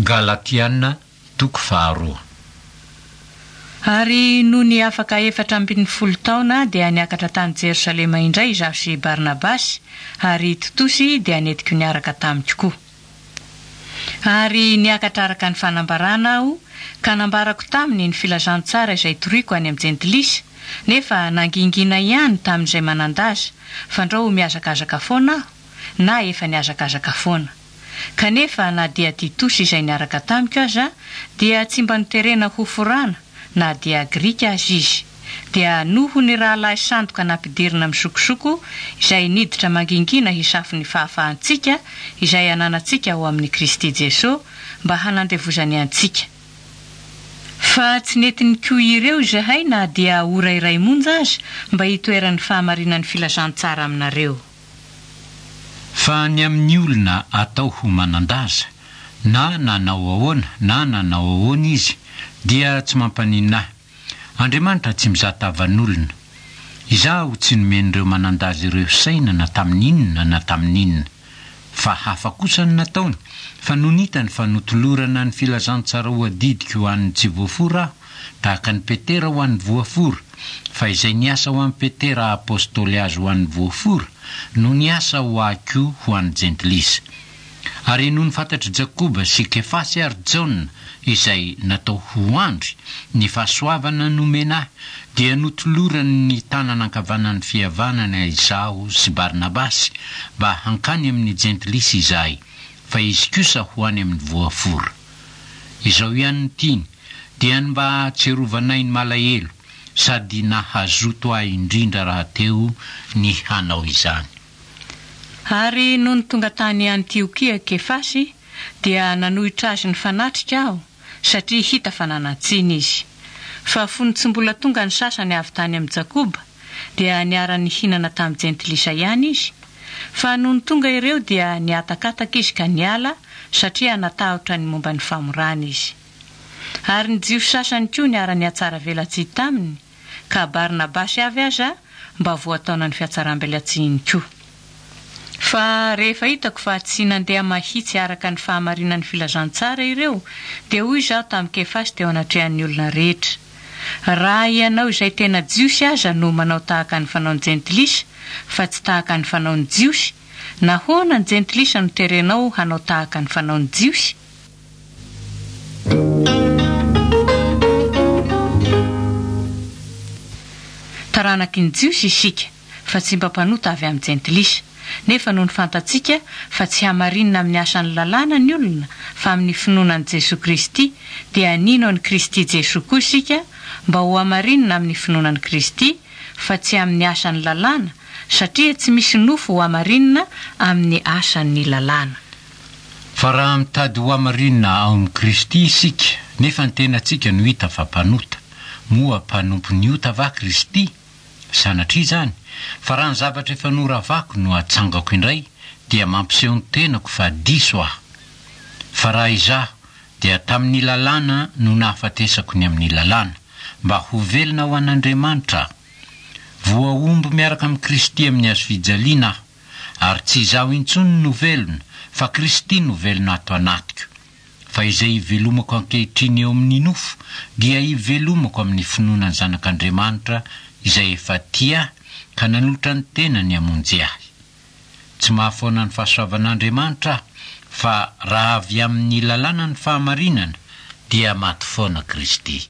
Galatiana toko faharoa. Ary nony afaka 14 taona dia niakatra tany Jerosalema indray izaho sy Barnabasy, ary Titosy dia nentiko niaraka tamiko koa. Ary niakatra araka ny fanambarana aho, ka nambarako taminy ny filazantsara izay toriko any amin'ny Jentilisa, nefa nangingina ihany tamin'izay manan-daza, fandrao ho mihazakazaka foana aho, na efa nihazakazaka foana. Kanefa na dia Titosy izay niaraka tamiko aza dia tsy mba noterena hoforana na dia Grika aza izy, dia noho ny rahalahy sandoka nampidirina misokosoko izay niditra mangingina hisafo ny fahafahantsika izay ananantsika ao amin'i Kristy Jeso mba hanandevozany antsika. Fa tsy nety nikoy ireo izahay na dia ora iray monja aza mba hitoeran'ny fahamarinan'ny filazantsara aminareo. Fa ny amin'ny olona atao ho manan-daza, na nanao ahoana na nanao ahoana izy, dia tsy mampaninona ahy. Andriamanitra tsy mizaha tavan'olona. Izaho tsy nomen'ireo manan-daza ireo saina na tamin'inona na tamin'inona. Fa hafa kosa ny nataony, fa nony hitany fa notolorana ny filazantsara ho adidiko ho an'ny tsy voafora aho, tahaka an'i Petera ho an'ny voafora, fa izay niasa ho an'i Petera apostoly azy ho an'ny voafora, no niasa ho ahy koa ho an'ny jentilisa. Ary nony fantatr'i Jakoba sy Kefasy ary Jaona, izay natao ho andry, ny fahasoavana nomena ahy, dia notolorany ny tanana ankavanan'ny fihavanana izaho sy Barnabasy, mba hankany amin'ny jentilisa izahay, fa izy kosa ho any amin'ny voafora. Izao ihany no tiany, dia ny mba hahatsiarovanay ny malahelo, sady nahazoto ahy indrindra rahateo ny hanao izany. Ary nony tonga tany Antiokia Kefasy, dia nanohitra azy nifanatrika aho, satria hita fa nanan-tsiny izy. Fa fony tsy mbola tonga ny sasany avy tany amin'i Jakoba, dia niara-nihinana tamin'ny jentilisa ihany izy, fa nony tonga ireo dia nihatakataka izy ka niala, satria natahotra ny momba ny famorana izy. Ary ny Jiosy sasany koa niara-nihatsaravelatsihy taminy, ka Barnabasy avy aza mba voataonan'ny fihatsarambelatsihiny koa. Fa rehefa hitako fa tsy nandeha mahitsy araka ny fahamarinan'ny filazantsara ireo, dia hoy izaho tamin'i Kefasy teo anatrehan'ny olona rehetra, Raha ianao izay tena Jiosy aza no manao tahaka ny fanaon'ny Jentilisa, fa tsy tahaka ny fanaon'ny Jiosy, nahoana ny Jentilisa no terenao hanao tahaka ny fanaon'ny Jiosy? Taranaky ny Jiosy isika, fa tsy mba mpanota avy amin'ny Jentilisa, nefa nony fantatsika fa tsy hamarinina amin'ny asan'ny lalàna ny olona, fa amin'ny finoana an'i Jesoa Kristy, dia nino an'i Kristy Jesoa koa isika, mba hohamarinina amin'ny finoana an'i Kristy, fa tsy amin'ny asan'ny lalàna, satria tsy misy nofo hohamarinina amin'ny asan'ny lalàna. Fa raha mitady hohamarinina ao amin'i Kristy isika, nefa ny tenantsika no hita fa mpanota, moa mpanompon'ny ota va Kristy? Sanatria izany, fa raha ny zavatra efa noravako no atsangako indray, dia mampiseho ny tenako fa diso aho. Fa raha izaho, dia tamin'ny lalàna no nahafatesako ny amin'ny lalàna, mba ho velona ho an'Andriamanitra aho. Voahombo miaraka amin'i Kristy amin'ny hazofijaliana aho, ary tsy izaho intsony no velona, fa Kristy no velona ato anatiko. Fa izay ivelomako ankehitriny eo amin'ny nofo dia ivelomako amin'ny finoana ny Zanak'Andriamanitra izay efa tia ahy ka nanolotra ny tenany hamonjy ahy. Tsy mahafoana ny fahasoavan'Andriamanitra aho, fa raha avy amin'ny lalàna ny fahamarinana dia maty foana Kristy.